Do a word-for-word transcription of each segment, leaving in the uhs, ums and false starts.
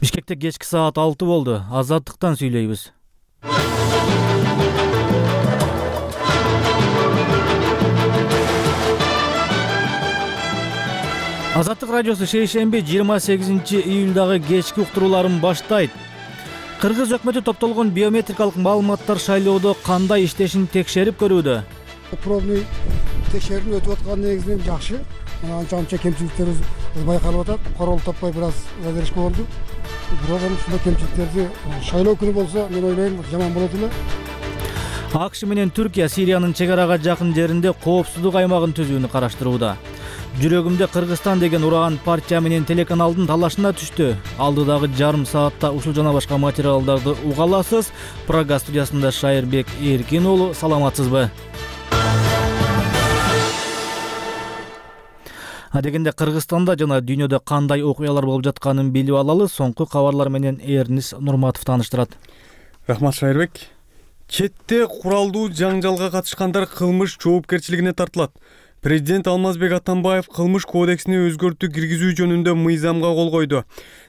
Бишкекте кечки саат алты болду. Азаттыктан сүйлөйбүз. Азаттык радиосу шейшемби жыйырма сегизинчи июлдагы кечки уктурууларын баштайт. Кыргыз өкмөтү топтолгон биометрикалык маалыматтар шайлоодо кандай иштешин текшерип көрүүдө. Пробный текшерүү өтүп аткан негизинен жакшы. Анча анча кемчиликтерибиз байкалып атат. Корол таппай бир аз задержка болду. Бирок ушундай кемчиликтерди шайлоо күнү болсо, мен ойлойм, жаман болот эле. АКШ менен Түркия Сириянын чек арага жакын жеринде коопсуздук аймагын түзүүнү караштырууда. Жүрөгүмдө Кыргызстан деген ураган партия менен телеканалдын талашына түштү. Алдыдагы жарым саатта ушул жана башка материалдарды уга аласыз. Прага студиясында Шайырбек Эркин уулу, саламатсызбы? Адегенде Кыргызстанда жана дүйнөдө кандай окуялар болуп жатканын билип алалы. Соңку кабарлар менен Эрнис Нурматов тааныштырат. Рахмат Шайырбек. Четте куралдуу жаңжалга катышкандар кылмыш жоопкерчилигине тартылат. Президент Алмазбек Атамбаев кылмыш кодексине өзгөртүү киргизүү жөнүндө мыйзамга кол койду.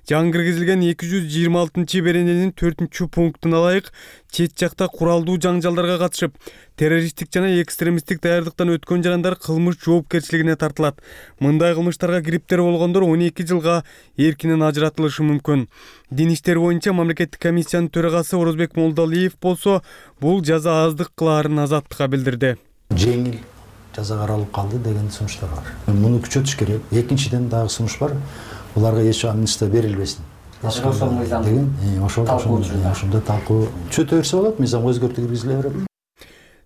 Жаңы киргизилген эки жүз жыйырма алтынчы берененин төртүнчү пунктуна ылайык чет жакта куралдуу жаңжалдарга катышып, террористтик жана экстремисттик даярдыктан өткөн жарандар кылмыш жоопкерчилигине тартылат. Мындай кылмыштарга кириптер болгондор он эки жылга эркинен ажыратылышы мүмкүн. Дин иштери боюнча мамлекеттик комиссиянын төрагасы Орозбек Молдалиев болсо, бул жаза аздык кылаарын Азаттыкка билдирди. Жеңил жаза каралып калды деген сунуштар бар. Муну күчөтүш керек. Экинчиден дагы сунуш бар. Буларга эч амнистия берилбесин. Ошол мыйзам деген, ошол ошондой талкуу чөтө берсе болот, мыйзамга өзгөртүү киргизиле берет.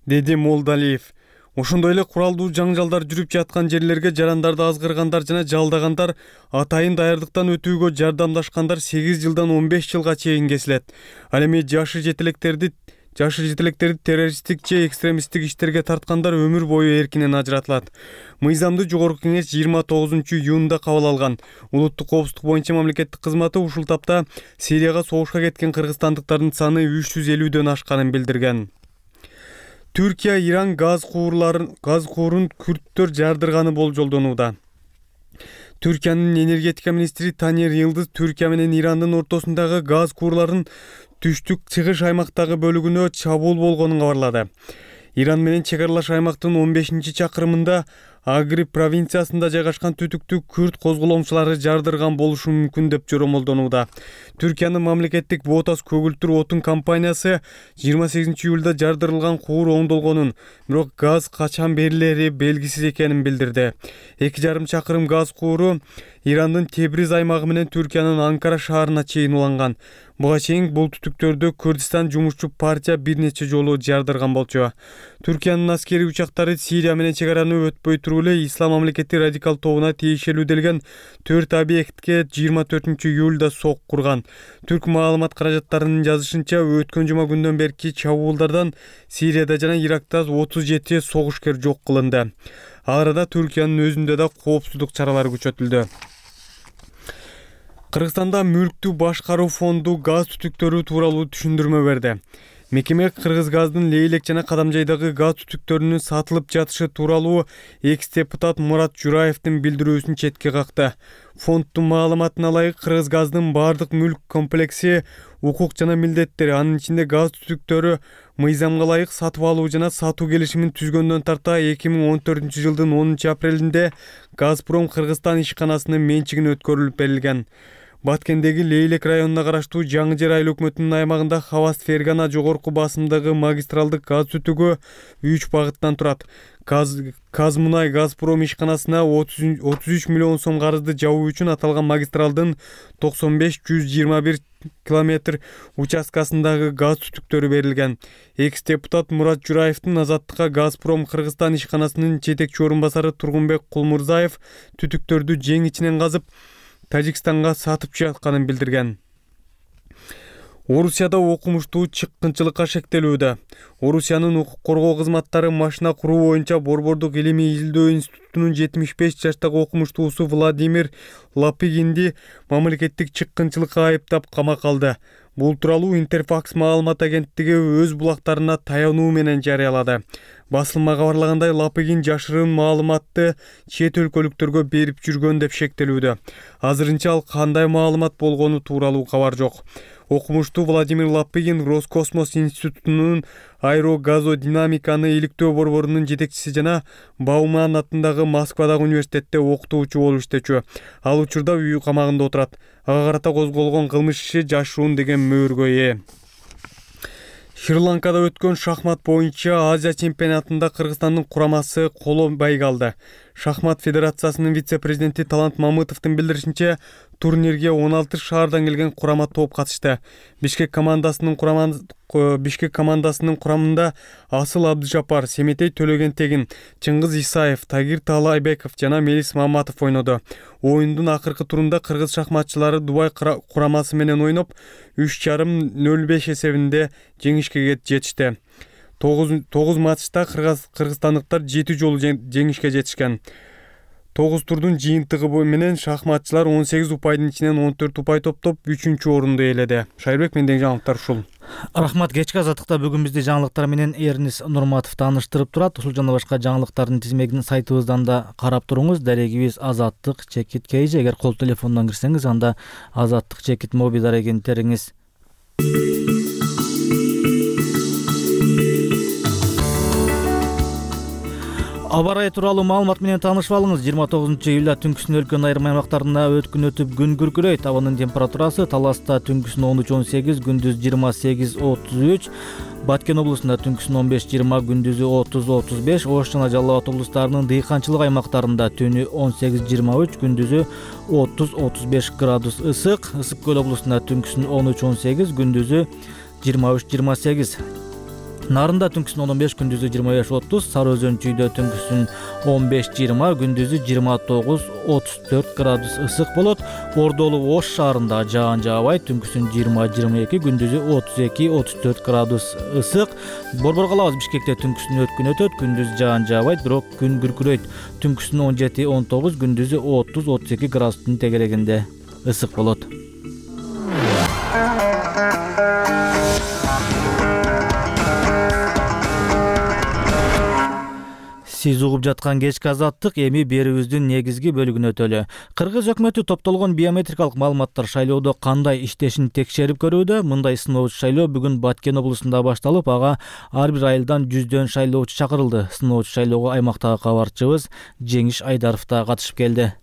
Деди Молдалиев. Ошондой эле куралдуу жаңжалдар жүрүп жаткан жерлерге жарандарды азгыргандар жана жалдагандар, атайын даярдыктан өтүүгө жардамдашкандар сегиз жылдан он беш жылга чейин кесилет. Ал эми жашы жетелектерди Жашы жетелектерди террористтик же экстремисттик иштерге тарткандар өмүр бою эркинен ажыратылат. Мыйзамды жогорку кеңеш жыйырма тогузунчу июнда кабыл алган. Улуттук коопсуздук боюнча мамлекеттик кызматы ушул тапта Сирияга согушка кеткен кыргызстандыктардын саны үч жүз элүүдөн ашканын билдирген. Түркия Иран газ куурларын газ куурун күрттөр жардырганы болжолдонууда. Түркиянын энергетика министри Танер Йылдыз Түркия менен Ирандын ортосундагы газ куурларын түштүк чыгыш аймактагы бөлүгүнө чабуул болгонун кабарлады. Иран менен чек аралаш аймактын он бешинчи чакырымында Агри провинциясында жайгашкан түтүктү күрт козголоңчулары жардырган болушу мүмкүн деп жоромолдонууда. Түркиянын мамлекеттик Ботас көгүлтүр отун компаниясы жыйырма сегизинчи июлда жардырылган куур оңдолгонун, бирок газ качан берилери белгисиз экенин билдирди. эки жарым чакырым газ кууру Ирандын Тебриз аймагы менен Түркиянын Анкара шаарына чейин уланган. Буга чейин бул түтүктөрдү Курдистан жумушчу партия бир нече жолу жардырган болчу. Түркиянын аскери учактары Сирия менен чек араны өтпөй туруп эле Ислам мамлекети радикал тобуна тиешелүү делген төрт объектке жыйырма төртүнчү июлда сок курган. Түрк маалымат каражаттарынын жазышынча, өткөн жума күндөн берки чабуулдардан Сирияда жана Иракта отуз жети согушкер жок кылынды. Ал арада Түркиянын өзүндө да коопсуздук чаралары күчөтүлдү. Кыргызстанда мүлктү башкаруу фонду газ түтүктөрү тууралуу түшүндүрмө берди. Мекеме Кыргызгаздын Лейлек жана Кадамжайдагы газ түтүктөрүнүн сатылып жатышы тууралуу экс-депутат Мурат Жураевдин билдирүүсүн четке какты. Фонддун маалыматына ылайык, Кыргызгаздын бардык мүлк комплекси, укук жана милдеттери, анын ичинде газ түтүктөрү мыйзамга ылайык сатып алуу жана сатуу келишимин түзгөндөн тарта эки миң он төртүнчү жылдын онунчу апрелинде Газпром Кыргызстан ишканасынын менчигине өткөрүлүп берилген. Баткендеги Лейлек районуна караштуу Жаңы Жер айыл өкмөтүнүн аймагында Хаваст Фергана жогорку басымдагы магистралдык газ түтүгү үч багыттан турат. Казмунай Газпром ишканасына отуз үч миллион сом карызды жабуу үчүн аталган магистралдын токсон беш жүз жыйырма бир километр участкасындагы газ түтүктөрү берилген. Экс-депутат Мурат Жураевдин Азаттыкка Газпром Кыргызстан ишканасынын жетекчи орун басары Тургунбек Кулмурзаев түтүктөрдү жең ичинен казып Тажикстанга сатып жатканын билдирген. Орусияда окумуштуу чыккынчылыкка шектелүүдө. Орусиянын укук коргоо кызматтары машина куруу боюнча Борбордук илимий изилдөө институтунун жетимиш беш жаштагы окумуштуусу Владимир Лапыгинди мамлекеттик чыккынчылыкка айыптап камакка алды. Бул тууралуу Интерфакс маалымат агенттиги өз булактарына таянуу менен жарыялады. Басылма кабарлагандай, Лапыгин жашырын маалыматты чет өлкөлүктөргө берип жүргөн деп шектелүүдө. Азырынча ал кандай маалымат болгону тууралуу кабар жок. Окумуштуу Владимир Лапыгин Роскосмос институтунун аэрогазодинамиканы иликтөө борборунун жетекчиси жана Бауман атындагы Москвадагы университетте окутуучу болуп иштечү. Ал учурда үй камагында отурат. Ага карата козголгон кылмыш иши жашыруун деген мөөргө ээ. Шри-Ланкада өткөн шахмат боюнча Азия чемпионатында Кыргызстандын курамасы коло байга алды. Шахмат федерациясынын вице-президенти Талант Мамытовдун билдиришинче, турнирге он алты шаардан келген курама топ катышты. Бишкек командасынын курамында Бишкек командасынын курамында Асыл Абдыжапар, Семетей Төлөгентегин, Чыңгыз Исаев, Тагир Таалайбеков жана Мелис Маматов ойноду. Оюндун акыркы турунда кыргыз шахматчылары Дубай курамасы менен ойноп, үч жарым нөл беш эсебинде жеңишке жетишти. тогуз матчта кыргызстандыктар жети жолу жеңишке жетишкен. тогуз турдун жыйынтыгы менен шахматчылар он сегиз упайдын ичинен он төрт упай топтоп үчүнчү орунду ээледи. Шайырбек, мендеги жаңылыктар ушул. Рахмат. Кечки азаттыкта бүгүн бизди жаңылыктар менен Эрнис Нурматов тааныштырып турат. Ушул жана башка жаңылыктардын тизмегин сайтыбыздан да карап туруңуз. Дарегибиз Азаттык чекит кейжи. Эгер кол телефондон кирсеңиз, анда Азаттык чекит моби дарегин териңиз. Аба ырайы тууралуу маалымат менен таанышып алыңыз. жыйырма тогузунчу июлда түнкүсүн өлкөнүн айрым аймактарында өткүн өтүп күн күркүрөйт. Абанын температурасы Таласта түнкүсүн он үч он сегиз, күндүз жыйырма сегиз отуз үч, Баткен облусунда түнкүсүн он беш жыйырма, күндүзү отуз отуз беш, Ош жана Жалал Абад облустарынын дыйканчылык аймактарында түнү он сегиз жыйырма үч, күндүзү отуз отуз беш градус ысык. Ысык көл облусунда түнкүсүн он үч он сегиз, күндүзү жыйырма үч жыйырма сегиз. Нарында түнкүсүн он беш, күндүзү жыйырма беш отуз, Сары Өзөн чүйдө түнкүсүн он беш жыйырма, күндүзү жыйырма тогуз отуз төрт градус ысык болот. Ордолу Ош шаарында жаан жаабайт, түнкүсүн жыйырма жыйырма эки, күндүзү отуз эки отуз төрт градус ысык. Борбор калабыз Бишкекте түнкүсүн өткүн өтөт, күндүз жаан жаабайт, бирок күн күркүрөйт. Түнкүсүн он жети он тогуз, күндүзү отуз отуз эки градустун тегерегинде ысык болот. Сиз угуп жаткан кечки азаттык эми берүүбүздүн негизги бөлүгүнө өтөлү. Кыргыз өкмөтү топтолгон биометрикалык маалыматтар шайлоодо кандай иштешин текшерип көрүүдө. Мындай сыноочу шайлоо бүгүн Баткен облусунда башталып, ага ар бир айылдан жүздөн шайлоочу чакырылды. Сыноочу шайлоого аймактагы кабарчыбыз Жеңиш Айдаров да катышып келди.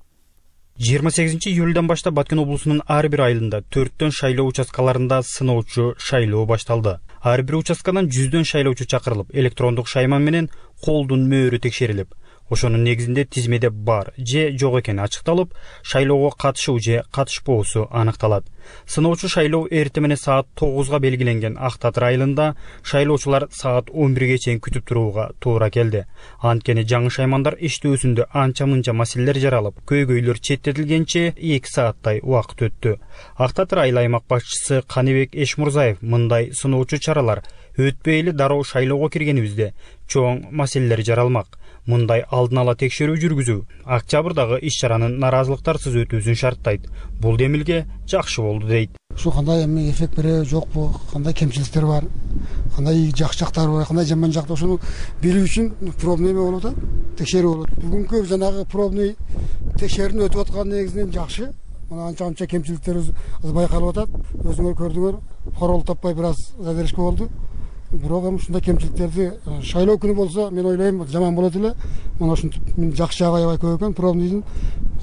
жыйырма сегизинчи июлдан баштап Баткен облусунун ар бир айылында төрттөн шайлоо участкаларында сыноочу шайлоо башталды. Ар бир участкадан жүздөн шайлоочу чакырылып, электрондук шайман менен колдун мөөрү текшерилип, ошонун негизинде тизмеде бар же жок экени ачыкталып, шайлоого катышуу же катышпоосу аныкталат. Сыноочу шайлоо эртең менен саат тогузга белгиленген Ак Татыр айылында шайлоочулар саат он бирге чейин күтүп турууга туура келди. Анткени жаңы шаймандар иштөөсүндө анча-мынча маселелер жаралып, көйгөйлөр четтетилгенче эки сааттай убакыт өттү. Ак Татыр айыл аймак башчысы Каныбек Эшмурзаев мындай сыноочу чаралар өтпөй эле дароо шайлоого киргенибизде чоң маселелер жаралмак. Мындай алдын ала текшерүү жүргүзүү октябрдагы иш-чаранын наразылыктарсыз өтүүсүн шарттайт. Бул демилге жакшы болду дейт. Ушу кандай эми эффект береби, жокпу, кандай кемчиликтер бар, кандай жакшы жактары бар, кандай жаман жактары, ошону билүү үчүн пробный эме болот, текшерүү болот. Бүгүнкү жанагы пробный текшерүүнү өтүп аткан негизинен жакшы. Мына анча-анча кемчиликтерибиз байкалып атат. Өзүңөр көрдүңөр, корол таппай бир аз задержка болду. Бирок эми ушундай кемчиликтерди шайлоо күнү болсо, мен ойлойм жаман болот эле. Мына ушинтип жакшы жагы аябай көп экен. Пробныйдын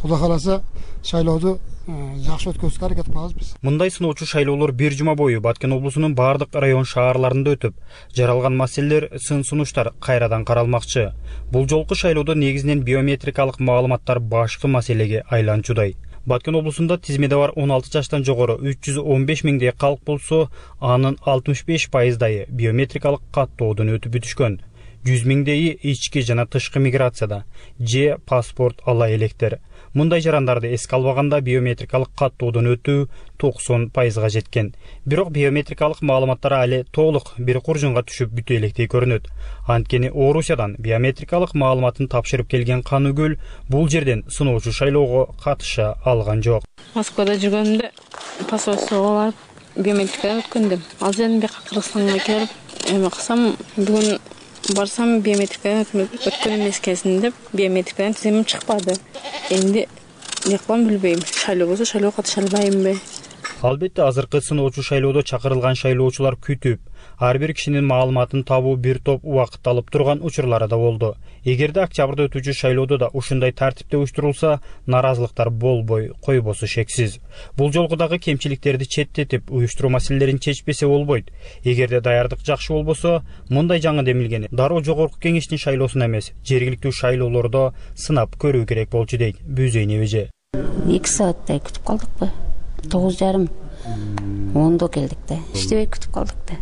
Кудай кааласа шайлоодо жакшы өткөзүшкө аракет кылабыз биз. Мындай сыноочу шайлоолор бир жума бою Баткен облусунун бардык район шаарларында өтүп, жаралган маселелер, сын-сунуштар кайрадан каралмакчы. Бул жолку шайлоодо негизинен биометрикалык маалыматтар башкы маселеге айланчудай. Баткен облусунда тизмеде бар он алты жаштан жогору үч жүз он беш миңдей калк болсо, анын алтымыш беш пайыздайы биометрикалык каттоодон өтүп бүтүшкөн. жүз миңдейи ички жана тышкы миграцияда же паспорт ала электер. Мындай жарандарды эске албаганда биометрикалык каттоодон өтүү токсон пайызга жеткен. Бирок биометрикалык маалыматтар али толук бир куржунга түшүп бүтө электей көрүнөт. Анткени Орусиядан биометрикалык маалыматын тапшырып келген Каныгөл бул жерден сыноочу шайлоого катыша алган жок. Москвада жүргөндө посольствого барып биометрикадан өткөндүм. Ал жерден бияка Кыргызстанга келип, эме кылсам бүгүн Барсам биометрикадан өткөн эмес экенсиң деп биометрикадан тизимим чыкпады. Энди эмне кылам билбейм. Шайлоо болсо шайлоого катыша албаймынбы? Албетте азыркы сыноочу шайлоодо чакырылган шайлоочулар күтүп, ар бир кишинин маалыматын табуу бир топ убакыт алып турган учурлары да болду. Эгерде октябрда өтүүчү шайлоодо да ушундай тартипте уюштурулса, наразылыктар болбой койбосу шексиз. Бул жолку дагы кемчиликтерди четтетип, уюштуруу маселелерин чечпесе болбойт. Эгерде даярдык жакшы болбосо, мындай жаңы демилгени дароо жогорку кеңештин шайлоосуна эмес, жергиликтүү шайлоолордо сынап көрүү керек болчу дейт Бүүзөйн эбеже. эки сааттай күтүп калдыкпы? тогуз жарым ондо келдик да. Иштебей күтүп калдык да.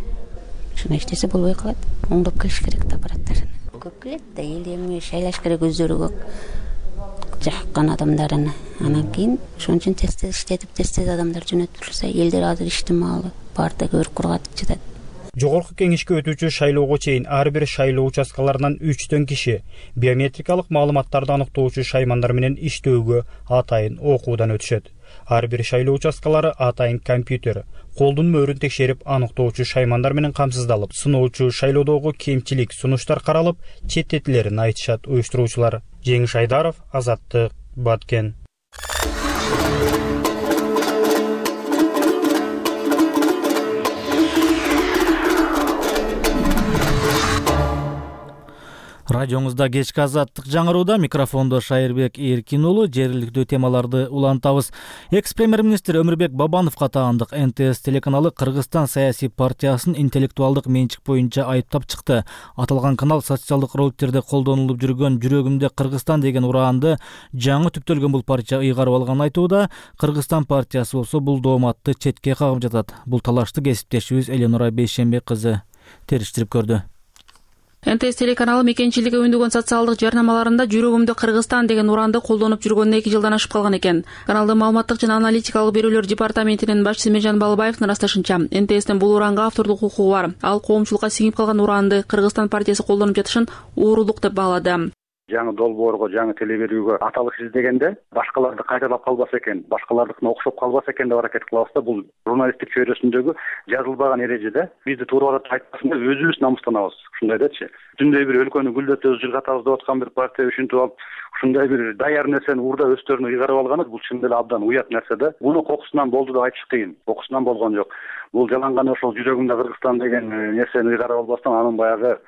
Ушуна иштесе болбой калат. Оңдоп келиш керек да аппараттарын. Көп келет да, эл эми шайлаш керек өздөрү көк жаккан адамдарын. Анан кийин ошон үчүн тез иштетип, тез адамдар жөнөтүлсө, элдер азыр иштин маалы барда көрүп кургатып жатат. Жогорку кеңешке өтүүчү шайлоого чейин ар бир шайлоо участкаларынан үчтөн киши биометрикалык маалыматтарды аныктоочу шаймандар менен иштөөгө атайын окуудан өтүшөт. Ар бир шайлоо участкалары атайын компьютер, колдун мөөрүн текшерип аныктоочу шаймандар менен камсыздалып, сыноочу шайлоодогу кемчилик сунуштар каралып, четтетилерин айтышат уюштуруучулар. Жеңиш Айдаров, Азаттык, Баткен. Радиоңузда кечки азаттык жаңырууда, микрофондо Шайырбек Эркин уулу. Жергиликтүү темаларды улантабыз. Экс-премьер-министр Өмүрбек Бабановго таандык эн тэ эс телеканалы Кыргызстан саясий партиясын интеллектуалдык менчик боюнча айыптап чыкты. Аталган канал социалдык роликтерде колдонулуп жүргөн "Жүрөгүмдө Кыргызстан" деген ураанды жаңы түптөлгөн бул партия ыйгарып алганын айтууда. Кыргызстан партиясы болсо бул дооматты четке кагып жатат. Бул талашты кесиптешибиз Эленора Бейшембек кызы териштирип көрдү. эн тэ эс телеканалы мекенчилиги өндөгөн социалдык жарнамаларында "Жүрөгүмдө Кыргызстан" деген ураанды колдонуп жүргөнүнө эки жылдан ашып калган экен. Каналдын маалыматтык жана аналитикалык берүүлөр департаментинин башчысы Мержан Балыбаевдин ырасташынча, эн тэ эстин бул ураанга автордук укугу бар. Ал коомчулукка сиңип калган ураанды Кыргызстан партиясы колдонуп жатышын уурулук деп баалады. Жаңы долбоорго, жаңы теле берүүгө аталык издегенде башкаларды кайталап калбаса экен, башкалардыкына окшоп калбаса экен деп аракет кылабыз да. Бул журналисттик чөйрөсүндөгү жазылбаган эрежеде бизди туура айтпасында өзүбүз намыстанабыз. Ушундай дечи. Түндөй бир өлкөнү гүлдөтөбүз, жыргатабыз деп аткан бир партия үчүнтүп алып, ушундай бир даяр нерсени урда өстөрүнө ыйгарып алганы бул чын эле абдан уят нерсе да. Муну кокусунан болду деп айтыш кыйын. Кокусунан болгон жок. Бул жаланган ошол "Жүрөгүмдө Кыргызстан" деген нерсени ыйгарып албастан анын баягы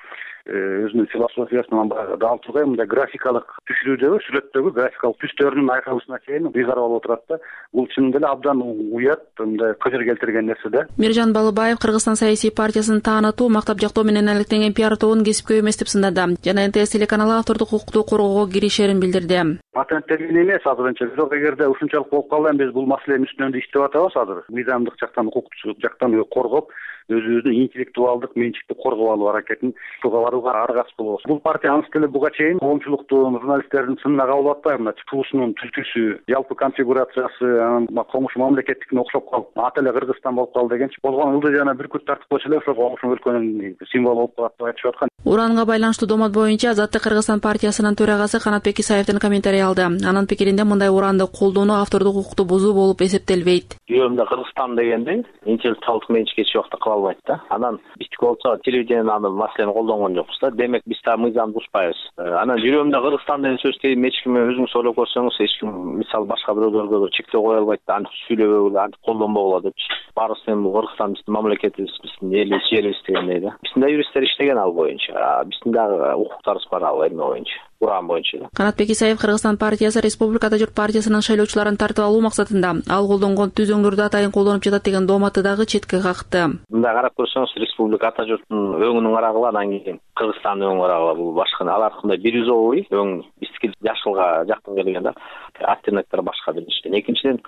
өзүнүн философиясынан дал тургай мындай графикалык түшүрүүдөгү, сүрөттөгү графикалык түстөрүнүн айкалышына чейин ыйгарып алып отурат да. Бул чын эле абдан уят, мындай кыжыр келтирген нерсе да. Мержан Балыбаев Кыргызстан саясий партиясын таанытуу, мактап жактоо менен алектенген пиар тобун кесипкөй эмес деп сындады. Жана эн тэ эс телеканалы автордук укукту коргоого киришерин билдирди. Патенттелген эмес азырынча, бирок эгерде ушунчалык болуп калса, биз бул маселенин үстүндө иштеп атабыз азыр. Мыйзамдык жактан, укуктук жактан коргоп, өзүбүздүн интеллектуалдык менчикти коргоп алуу аракетин кылып барууга аргасыз болобуз. Бул партия анысы деле буга чейин коомчулуктун, журналисттердин сынына кабыл атпай, мына туусунун түзүлүшү, жалпы конфигурациясы, анан комуш мамлекеттикине окшоп калып, аты эле Кыргызстан болуп калды дегенчи болгон ылдый жана бир күт тартып койсо эле ошол комуш өлкөнүн символу болуп калат деп айтышып аткан. Ураанга байланыштуу доомат боюнча Азаттык Кыргызстан партиясынын төрагасы Канатбек Исаевдин комментарий алды. Анын пикиринде мындай ураанды колдонуу автордук укукту бузуу болуп эсептелбейт. Жүрөгүмдө Кыргызстан дегенде интеллектуалдык менчик эч убакта кыла албайт да. Анан биздики болсо телевидениеден аны маселени колдонгон жокпуз да. Демек биз та мыйзамды бузбайбыз. Анан жүрөгүмдө Кыргызстан деген сөздү эч ким өзүңүз ойлоп көрсөңүз, эч ким мисалы башка бирөөлөргө чектөө кое албайт да. Аны сүйлөбөгүлө, аны колдонбогула депчи. Баарыбыз эми Кыргызстан биздин мамлекетибиз, биздин элибиз, жерибиз дегендей да. Биздин да юристтер иштеген ал боюнча. Биздин дагы укуктарыбыз бар ал эме боюнча. Уран боюнча. Канатбек Исаев Кыргызстан партиясы Республикада журт партиясынын шайлоочуларын тартып алуу максатында ал колдонгон түзөңдөрдү атайын колдонуп жатат деген дооматты дагы четке какты. Мындай карап көрсөңүз, Республика ата журттун өңүнүн карагыла, анан кийин Кыргызстандын өңүнүн карагыла, бул башка алардыкындай бирюзовый өң, биздики жашылга жакын келген да. Оттенектер башка биринчиден. Экинчиден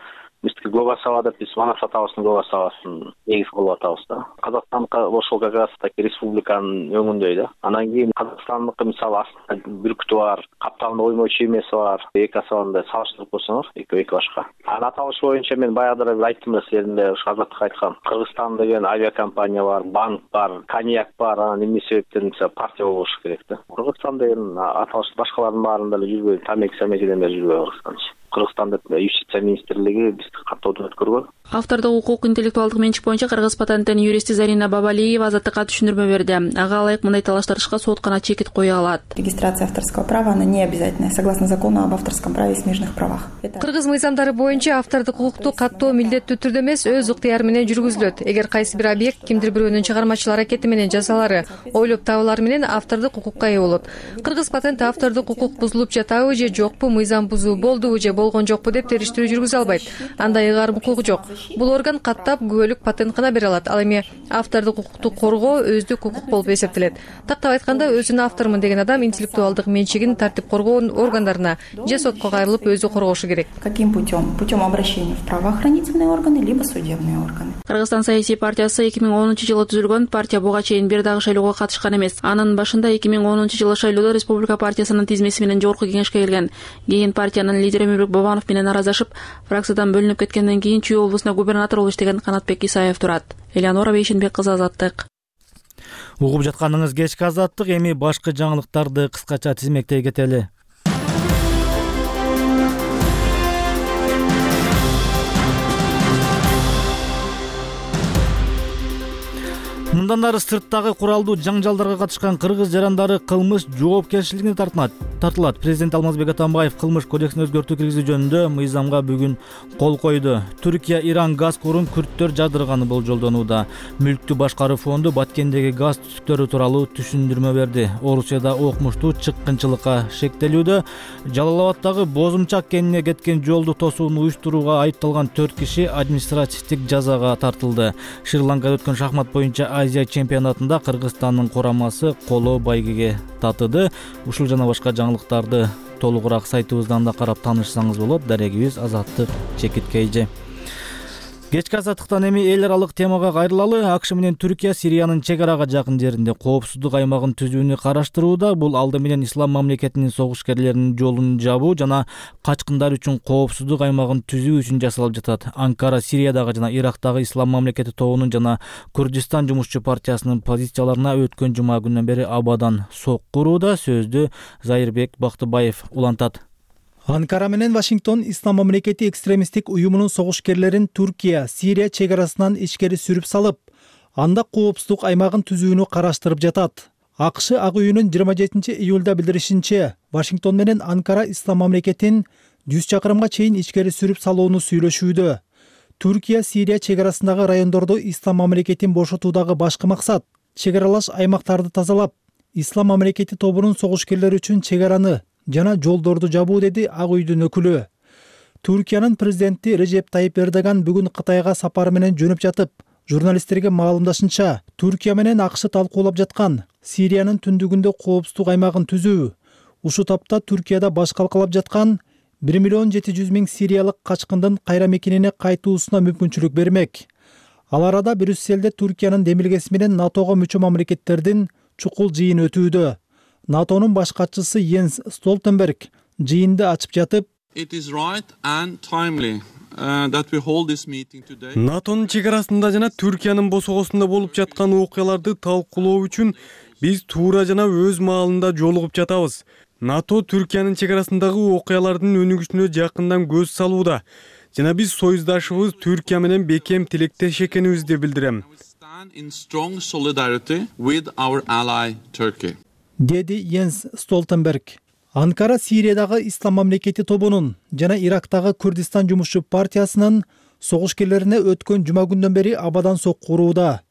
биздики Гогасава деп биз Манас атабыздын Гогасавасын негиз кылып атабыз да. Казакстандыкы ошол как раз таки республиканын өңүндөй да. Анан кийин Казакстандыкы мисалы астында бүркүтү бар, капталында оймочу эмеси бар. Эки асабында салыштырып койсоңор, экөө эки башка. Анын аталышы боюнча мен баягыда айттым да силердин ушу Азаттык айткан. Кыргызстан деген авиакомпания бар, банк бар, коньяк бар, анан эмне себептен мисалы партия болуш керек да. Кыргызстан деген аталыш башкалардын баарында эле жүрбөй, тамеки самекиден бери жүрбөй Кыргызстан. Кыргызстандын юстиция министрлиги бизди каттоодон өткөргөн. Автордук укук интеллектуалдык менчик боюнча Кыргыз патенттин юристи Зарина Бабалиева азаттыкка түшүндүрмө берди. Ага ылайык мындай талаштырышка сот гана чекит кое алат. Регистрация авторского права она не обязательная, согласно закону об авторском праве и смежных правах. Кыргыз мыйзамдары боюнча автордук укукту каттоо милдеттүү түрдө эмес, өз ыктыяры менен жүргүзүлөт. Эгер кайсы бир объект кимдир бирөөнүн чыгармачыл аракети менен жазалары, ойлоп табуулары менен автордук укукка ээ болот. Кыргыз патент автордук укук бузулуп жатабы же жокпу, мыйзам бузуу болдубу же болгон жокпу деп териштирүү жүргүзө албайт. Андай ыгаарым укугу жок. Бул орган каттап күбөлүк патент гана бере алат. Ал эми автордук укукту коргоо өздүк укук болуп эсептелет. Тактап айтканда, өзүн автормун деген адам интеллектуалдык менчигин тартип коргоо органдарына же сотко кайрылып өзү коргошу керек. Каким путем? Путем обращения в правоохранительные органы либо судебные органы. Кыргызстан саясий партиясы эки миң онунчу жылы түзүлгөн. Партия буга чейин бир дагы шайлоого катышкан эмес. Анын башында эки миң онунчу жылы шайлоодо Республика партиясынын тизмеси менен жогорку кеңешке келген. Кийин партиянын лидери Өмүрбек Бабанов менен аразашып, фракциядан бөлүнүп кеткенден кийин Чүй облусуна губернатор болуп иштеген Канатбек Исаев турат. Элеонора Бейшенбек кызы, Азаттык. Угуп жатканыңыз кечки Азаттык. Эми башкы жаңылыктарды кыскача тизмектей кетели. Мындан ары сырттагы куралдуу жаңжалдарга катышкан кыргыз жарандары кылмыш жоопкерчилигине тартылат. Тартылат. Президент Алмазбек Атамбаев кылмыш кодексине өзгөртүү киргизүү жөнүндө мыйзамга бүгүн кол койду. Түркия Иран газ корун күрттөр жадырганы болжолдонууда. Мүлктү башкаруу фонду Баткендеги газ түтүктөрү тууралуу түшүндүрмө берди. Орусияда окмуштуу чыккынчылыкка шектелүүдө. Жалал-Абаддагы Бозумчак кенине кеткен жолду тосууну уюштурууга айыпталган төрт киши административдик жазага тартылды. Шри-Ланкада өткөн шахмат боюнча Азия чемпионатында Кыргызстандын курамасы коло байгеге татыды. Ушул жана башка жаңылыктарды толугураак сайтыбыздан да карап таанышсаңыз болот. Дарегибиз Азаттык Чекиткейже. Кечки Азаттыктан эми эл аралык темага кайрылалы. АКШ менен Түркия Сириянын чек арага жакын жеринде коопсуздук аймагын түзүүнү караштырууда. Бул алды менен ислам мамлекетинин согушкерлеринин жолун жабуу жана качкындар үчүн коопсуздук аймагын түзүү үчүн жасалып жатат. Анкара Сириядагы жана Ирактагы ислам мамлекети тобунун жана Курдистан жумушчу партиясынын позицияларына өткөн жума күнүнөн бери абадан сокку урууда. Сөздү Зайырбек Бактыбаев улантат. Анкара менен Вашингтон ислам мамлекети экстремисттик уюмунун согушкерлерин Түркия, Сирия чек арасынан ичкери сүрүп салып, анда коопсуздук аймагын түзүүнү караштырып жатат. АКШ Ак үйүнүн жыйырма жетинчи июлда билдиришинче, Вашингтон менен Анкара ислам мамлекетин жүз чакырымга чейин ичкери сүрүп салууну сүйлөшүүдө. Түркия, Сирия чек арасындагы райондордо ислам мамлекетин бошотуудагы башкы максат чек аралаш аймактарды тазалап, ислам мамлекети тобунун согушкерлери үчүн чек араны жана жолдорду жабуу, деди Ак үйдүн өкүлү. Түркиянын президенти Режеп Тайип Эрдоган бүгүн Кытайга сапары менен жөнөп жатып, журналисттерге маалымдашынча, Түркия менен АКШ талкуулап жаткан Сириянын түндүгүндө коопсуздук аймагын түзүү, ушул тапта Түркияда баш калкалап жаткан бир миллион жети жүз миң сириялык качкындын кайра мекенине кайтуусуна мүмкүнчүлүк бермек. Ал арада Брюсселде Түркиянын демилгеси менен НАТОго мүчө мамлекеттердин чукул жыйын өтүүдө. НАТОнун баш катчысы Йенс Столтенберг жыйынды ачып жатып, НАТОнун чек арасында жана Түркиянын босогосунда болуп жаткан окуяларды талкуулоо үчүн биз туура жана өз маалында жолугуп жатабыз. НАТО Түркиянын чек арасындагы окуялардын өнүгүшүнө жакындан көз салууда жана биз союздашыбыз Түркия менен бекем тилектеш экенибизди билдирем. Деди Йенс Столтенберг. Анкара Сириядагы ислам мамлекети тобунун жана Ирактагы Курдистан жумушчу партиясынын согушкерлерине өткөн жума күндөн бери абадан сокку урууда.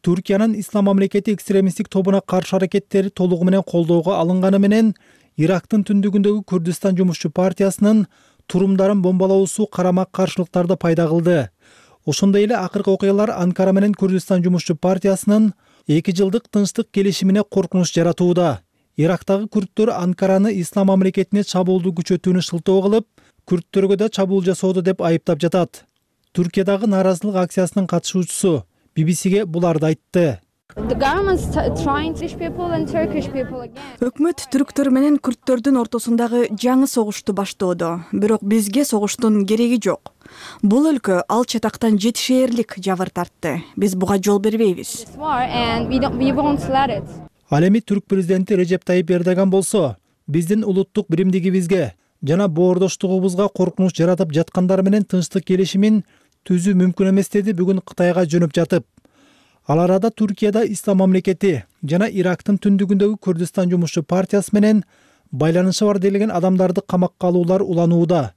Түркиянын ислам мамлекети экстремисттик тобуна каршы аракеттери толугу менен колдоого алынганы менен Ирактын түндүгүндөгү Курдистан жумушчу партиясынын турумдарын бомбалоосу карама каршылыктарды пайда кылды. Ошондой эле акыркы окуялар Анкара менен Курдистан жумушчу партиясынын эки жылдык тынчтык келишимине коркунуч жаратууда. Ирактагы күрттөр Анкараны ислам мамлекетине чабуулду күчөтүүнү шылтоо кылып, күрттөргө да чабуул жасоодо деп айыптап жатат. Түркиядагы нааразылык акциясынын катышуучусу би би сиге буларды айтты. Өкмөт түрктөр менен күрттөрдүн ортосундагы жаңы согушту баштоодо, бирок бизге согуштун кереги жок. Бул өлкө ал чатактан жетишээрлик жабыр тартты. Биз буга жол бербейбиз. Ал эми түрк президенти Режеп Тайип Эрдоган болсо, биздин улуттук биримдигибизге, жана боордоштугубузга коркунуч жаратып жаткандар менен тынчтык келишимин түзүү мүмкүн эмес деди бүгүн Кытайга жөнөп жатып. Ал арада Түркияда Ислам мамлекети жана Ирактын түндүгүндөгү Күрдистан жумушчу партиясы менен байланышы бар делген адамдарды камакка алуулар уланууда.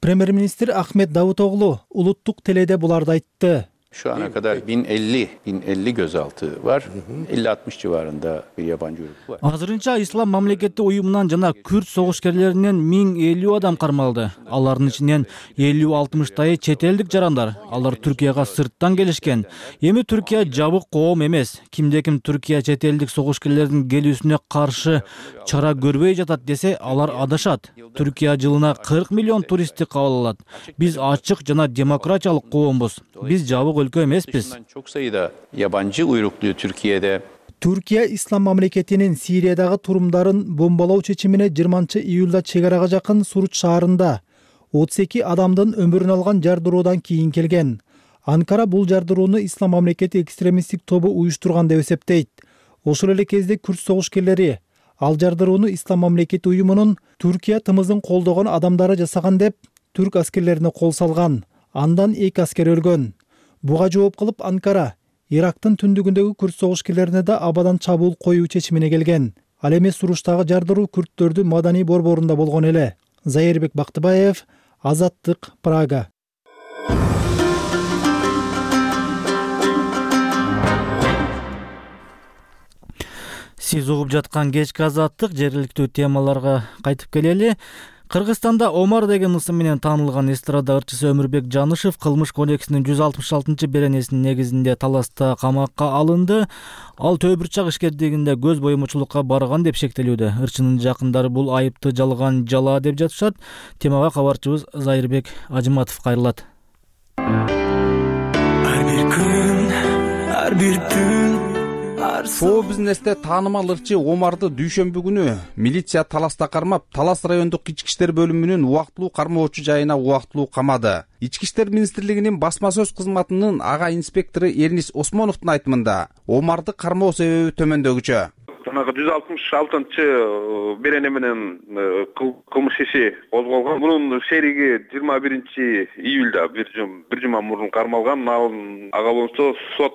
Премьер-министр Ахмет Давутоглу улуттук теледе буларды айтты. Şu ana kadar bin elli, bin elli gözaltı var. elli altmış civarında bir yabancı uyruk var. Азырынча Ислам мамлекети уюмунан жана Күрд согушкерлеринен миң элүү адам кармалды. Алардын ичинен элүү алтымыштайы чет элдик жарандар. Алар Түркияга сырттан келишкен. Эми Түркия жабык коом эмес. Кимде ким Түркия чет элдик согушкерлердин келүүсүнө каршы чара көрбөй жатат десе, алар адашат. Түркия жылына кырк миллион туристти кабыл алат. Биз ачык жана демократиялык коомбуз. Биз жабык өлкө эмеспиз. Çok sayıda yabancı uyruklu Türkiye'de. Түркия Ислам мамлекетинин Сириядагы турумдарын бомбалоо чечимине жыйырманчы июлда чек арага жакын Суруч шаарында отуз эки адамдын өмүрүн алган жардыруудан кийин келген. Анкара бул жардырууну Ислам мамлекети экстремисттик тобу уюштурган деп эсептейт. Ошол эле кезде Күрд согушкерлери ал жардырууну Ислам мамлекети уюмунун Түркия тымызын колдогон адамдары жасаган деп түрк аскерлерине кол салган. Андан эки аскер өлгөн. Буга жооп кылып Анкара Ирактын түндүгүндөгү күрд согушкерлерине да абадан чабуул коюу чечимине келген. Ал эми Суруштагы жардыруу күрдтөрдүн маданий борборунда болгон эле. Зайырбек Бактыбаев, Азаттык, Прага. Сиз угуп жаткан кечки Азаттык, жергиликтүү темаларга кайтып келели. Кыргызстанда Омар деген ысым менен таанылган эстрада ырчысы Өмүрбек Жанышев кылмыш кодексинин жүз алтымыш алтынчы беренесинин негизинде таласта камакка алынды. Ал Төө Бурчак ишкердигинде көз боюмчулукка барган деп шектелүүдө. Ырчынын жакындары бул айыпты жалган жала деп жатышат. Темага кабарчыбыз Зайырбек Ажыматов кайрылат. Ар бир күн, ар бир түн шоу-бизнесте таанымал ырчы Омарды дүйшөмбү күнү милиция таласта кармап, Талас райондук ички иштер бөлүмүнүн убактылуу кармоочу жайына убактылуу камады. Ички иштер министрлигинин басма сөз кызматынын ага инспектору Эрнис Осмоновдун айтымында, Омарды кармоо себеби төмөндөгүчө. Жанагы жүз алтымыш алтынчы берене менен кылмыш иши козголгон. Мунун шериги жыйырма биринчи июлда бир жума мурун кармалган. Ага болсо сот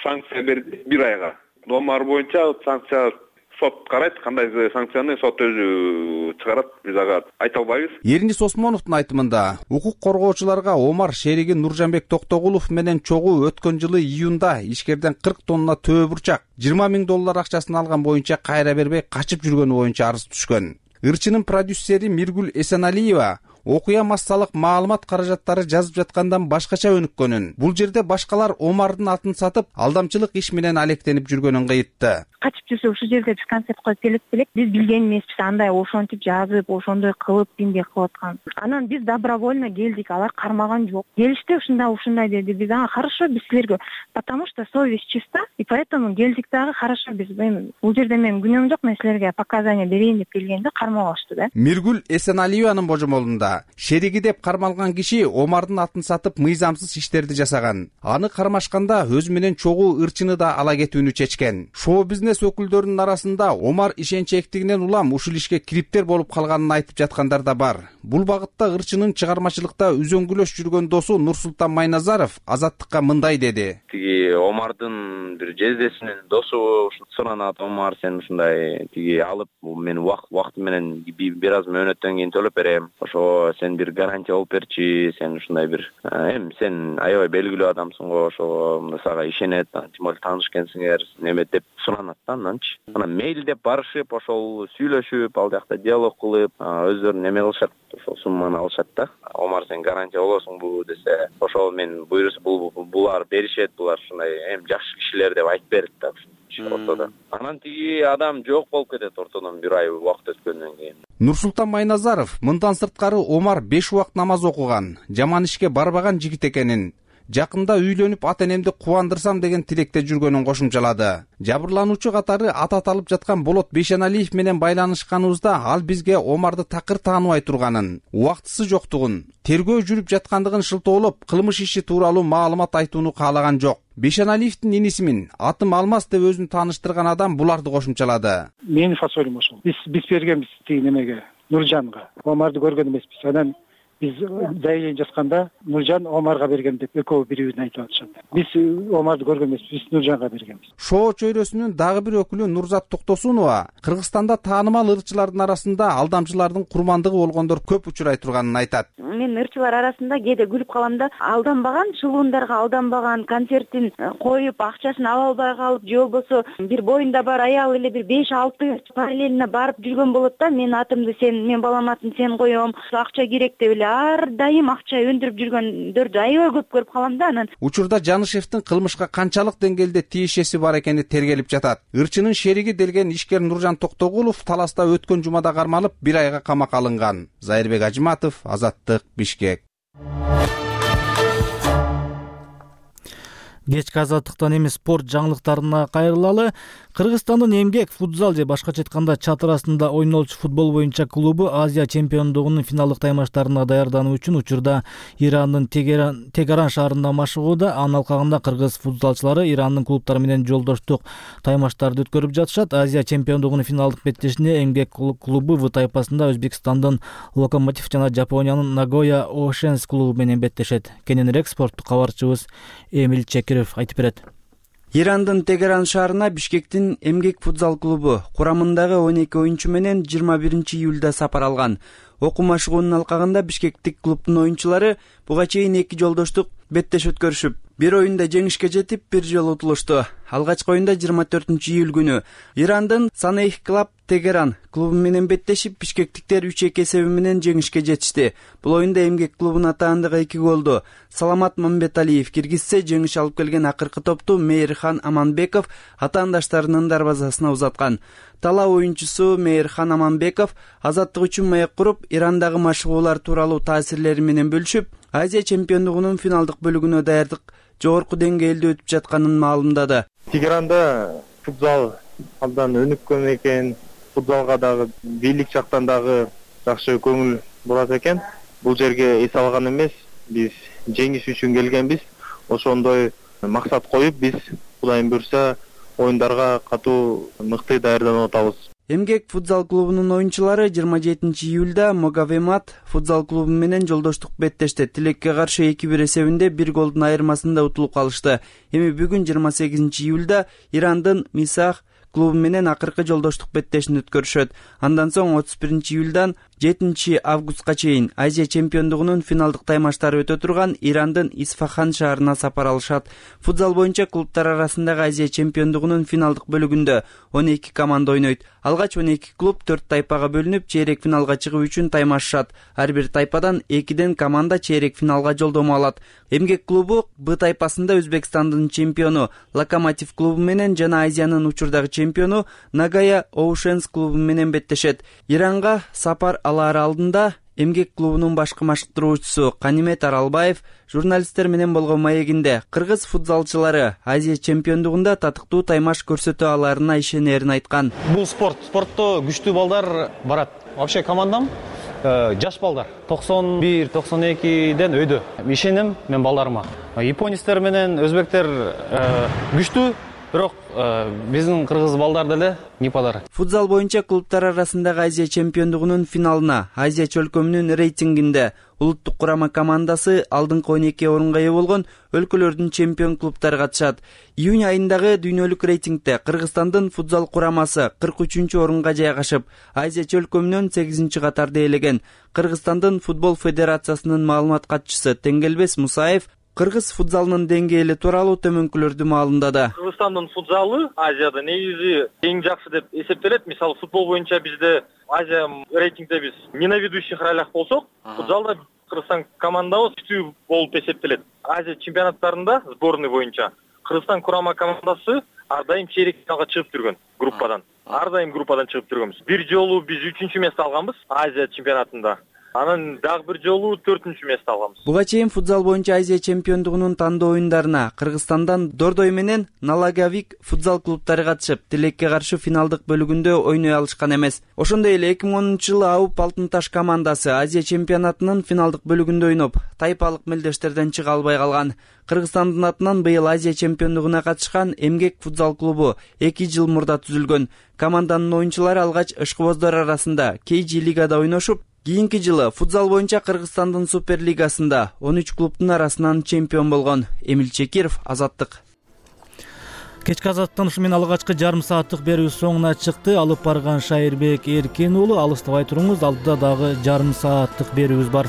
санкция берди бир айга. Омар боюнча санкция сот карайт, кандай санкцияны сот өзү чыгарат, биз ага айта албайбыз. Эрнис Осмоновдун айтымында, укук коргоочуларга Омар шериги Нуржанбек Токтогулов менен чогуу өткөн жылы июнда ишкерден кырк тонна Төө Бурчак, жыйырма миң доллар акчасын алган боюнча кайра бербей качып жүргөнү боюнча арыз түшкөн. Ырчынын продюсери Миргүл Эсеналиева окуя массалык маалымат каражаттары жазып жаткандан башкача өнүккөнүн, бул жерде башкалар Омардын атын сатып, алдамчылык иш менен алектенип жүргөнүн кыйытты. Качып жүрсө ушул жерде биз концерт коюп келип белек, биз билген эмеспиз, андай ошентип жазып, ошондой кылып эмне кылып аткан. Анан биз добровольно келдик, алар кармаган жок. Келишти, ушундай ушундай деди. Биз ага хорошо, биз силерге, потому что совесть чиста, и поэтому келдик дагы хорошо, биз бул жерде менин күнөөм жок, мен силерге показания берейин деп келгенде кармалышты да. Миргүл Эсеналиеванын божомолунда шериги деп кармалган киши Омардын атын сатып мыйзамсыз иштерди жасаган. Аны кармашканда өзү менен чогуу ырчыны да ала кетүүнү чечкен. Шоу-бизнес өкүлдөрүнүн арасында Омар ишенчектигинен улам ушул ишке кириптер болуп калганын айтып жаткандар да бар. Бул багытта ырчынын чыгармачылыкта үзөңгүлөш жүргөн досу Нурсултан Майназаров Азаттыкка мындай деди. Тиги Омардын бир жездесинин досу суранат, Омар сен ушундай тиги алып мен убакыт менен бир аз мөөнөттөн кийин төлөп берем. Ошо сен бир гарантия алып берчи, сен ушундай бир эми сен аябай белгилүү адамсың го, ошо сага ишенет, тем более таныш экенсиңер, неме деп суранат да ананчы. Анан мейл деп барышып, ошол сүйлөшүп, ал жакта диалог кылып, өздөрү неме кылышат, ошол сумманы алышат да. Омар сен гарантия болосуңбу десе, ошол мен буйруса булар беришет, булар ушундай эми жакшы кишилер деп айтып берет да ортодо. Анан тиги адам жок болуп кетет ортодон бир ай убакыт өткөндөн кийин. Нурсултан Майназаров мындан сырткары Омар беш убакыт намаз окуган, жаман ишке барбаган жигит экенин, жакында үйлөнүп ата энемди кубандырсам деген тилекте жүргөнүн кошумчалады. Жабырлануучу катары аты аталып жаткан Болот Бейшеналиев менен байланышканыбызда ал бизге Омарды такыр тааныбай турганын, убактысы жоктугун, тергөө жүрүп жаткандыгын шылтоолоп, кылмыш иши тууралуу маалымат айтууну каалаган жок. Бейшеналиевдин инисимин, атым Алмаз деп өзүн тааныштырган адам буларды кошумчалады. Менин фасолим ошол. Биз биз бергенбиз тиги немеге, Нуржанга. Омарды көргөн эмеспиз. Анан биз заявление жазганда Нуржан Омарга берген деп экөө бири-бирин айтып атышат. Биз Омарды көргөн эмеспиз, биз Нуржанга бергенбиз. Шоо чөйрөсүнүн дагы бир өкүлү Нурзат Токтосунова Кыргызстанда таанымал ырчылардын арасында алдамчылардын курмандыгы болгондор көп учурай турганын айтат. Мен ырчылар арасында кээде күлүп калам да, алданбаган, шылуундарга алданбаган, концертин коюп, акчасын ала албай калып, же болбосо бир боюнда бар аял эле бир беш алты параллельно барып жүргөн болот да, мен атымды сен, мен балам атын сен коем, акча керек деп эле ар дайым акча өндүрүп жүргөндөрдү аябай көп көрүп калам да. Анан учурда Жанышевдин кылмышка канчалык деңгээлде тиешеси бар экени тергелип жатат. Ырчынын шериги делген ишкер Нуржан Токтогулов таласта өткөн жумада кармалып, бир айга камакка алынган. Зайырбек Ажиматов, Азаттык, Бишкек. Кечки азаттыктан эми спорт жаңылыктарына кайрылалы. Кыргызстандын эмгек, футзал же башкача айтканда чатыр астында ойнолчу футбол боюнча клубу Азия чемпиондугунун финалдык таймаштарына даярдануу үчүн учурда Ирандын Тегеран, Тегеран шаарында машыгууда. Анын алкагында кыргыз футзалчылары Ирандын клубтары менен жолдоштук таймаштарды өткөрүп жатышат. Азия чемпиондугунун финалдык беттешине эмгек клубу В тайпасында Өзбекстандын Локомотив жана Жапониянын Нагоя Oceans клубу менен беттешет. Кененирээк спорттук кабарчыбыз Эмил Чекиров айтып берет. Ирандын Тегеран шаарына Бишкектин эмгек футзал клубу курамындагы он эки оюнчу менен жыйырма биринчи июлда сапар алган. Окуу машыгуунун алкагында бишкектик клубдун оюнчулары буга чейин эки жолдоштук беттеш өткөрүшүп, бир оюнда жеңишке жетип, бир жолу утулушту. Алгачкы оюнда жыйырма төртүнчү июль күнү Ирандын Санейх клуб Тегеран клубу менен беттешип, бишкектиктер үч эки эсеби менен жеңишке жетишти. Бул оюнда эмгек клубунун атаандыгы эки голду Саламат Мамбеталиев киргизсе, жеңиш алып келген акыркы топту Мейирхан Аманбеков атаандаштарынын дарбазасына узаткан. Талаа оюнчусу Мейирхан Аманбеков азаттык үчүн маек куруп, Ирандагы машыгуулар тууралуу таасирлери менен бөлүшүп, Азия чемпиондугунун финалдык бөлүгүнө даярдык жогорку деңгээлде өтүп жатканын маалымдады. Тегеранда футзал абдан өнүккөн экен, футзалга дагы бийлик жактан дагы жакшы көңүл бурат экен. Бул жерге эс алган эмес, биз жеңиш үчүн келгенбиз. Ошондой максат коюп, биз Кудайым буйрса оюндарга катуу мыкты даярданып атабыз. Эмгек футзал клубунун оюнчулары жыйырма жетинчи июлда Могавемат футзал клубу менен жолдоштук беттешти. Тилекке каршы эки бир эсебинде бир голдун айырмасында утулуп калышты. Эми бүгүн жыйырма сегизинчи июлда Ирандын Мисах клубу менен акыркы жолдоштук беттешин өткөрүшөт. Андан соң отуз биринчи июлдан жетинчи августка чейин Азия чемпиондугунун финалдык таймаштары өтө турган Ирандын Исфахан шаарына сапар алышат. Футзал боюнча клубтар арасындагы Азия чемпиондугунун финалдык бөлүгүндө он эки команда ойнойт. Алгач он эки клуб төрт тайпага бөлүнүп, чейрек финалга чыгуу үчүн таймашышат. Ар бир тайпадан экиден команда чейрек финалга жолдомо алат. Эмгек клубу Б тайпасында Өзбекстандын чемпиону Локомотив клубу менен жана Азиянын учурдагы чемпиону Нагая Oceans клубу менен беттешет. Иранга сапар алар алдында эмгек клубунун башкы машыктыруучусу Канимет Аралбаев журналисттер менен болгон маегинде кыргыз футзалчылары Азия чемпиондугунда татыктуу таймаш көрсөтө аларына ишенерин айткан. Бул спорт, спортто күчтүү балдар барат. Вообще командам жаш балдар токсон бир токсон экиден өйдө. Ишенем мен балдарыма. Японецтер менен өзбектер күчтүү, бирок биздин кыргыз балдар деле не подарок. Футзал боюнча клубтар арасындагы Азия чемпиондугунун финалына Азия чөлкөмүнүн рейтингинде улуттук курама командасы алдыңкы он эки орунга ээ болгон өлкөлөрдүн чемпион клубтары катышат. Июнь айындагы дүйнөлүк рейтингде Кыргызстандын футзал курамасы кырк үчүнчү орунга жайгашып, Азия чөлкөмүнөн сегизинчи катарда ээлеген. Кыргызстандын футбол федерациясынын маалымат катчысы Теңгелбес Мусаев кыргыз футзалынын деңгээли тууралуу төмөнкүлөрдү маалымдады. Кыргызстандын футзалы Азияда негизи эң жакшы деп эсептелет. Мисалы футбол боюнча бизде Азия рейтингде биз не на ведущих ролях болсок, футзалда Кыргызстан командабыз күчтүү болуп эсептелет. Азия чемпионаттарында сборный боюнча Кыргызстан курама командасы ар дайым чейрек финалга чыгып жүргөн группадан. Ар дайым группадан чыгып жүргөнбүз. Бир жолу биз үчүнчү место алганбыз Азия чемпионатында. анан дагы бир жолу төртүнчү место алганбыз. Буга чейин футзал боюнча Азия чемпиондугунун тандоо оюндарына Кыргызстандан Дордой менен Налагавик футзал клубтары катышып, Тилекке каршы финалдык бөлүгүндө ойной алышкан эмес. Ошондой эле эки миң онунчу жылы Ауп Алтын Таш командасы Азия чемпионатынын финалдык бөлүгүндө ойноп, тайпалык мелдештерден чыга албай калган. Кыргызстандын атынан быйыл Азия чемпиондугуна катышкан Эмгек футзал клубу эки жыл мурда түзүлгөн. Команданын оюнчулары алгач ышкыбоздар арасында Кейжи лигада ойношуп, кийинки жылы футзал боюнча Кыргызстандын супер лигасында он үч клубтун арасынан чемпион болгон. Эмил Чекиров, Азаттык. Кечки азаттан ушу менен алгачкы жарым сааттык берүүбүз соңуна чыкты. Алып барган Шайырбек Эркен уулу, алыстабай туруңуз, алдыда дагы жарым сааттык берүүбүз бар.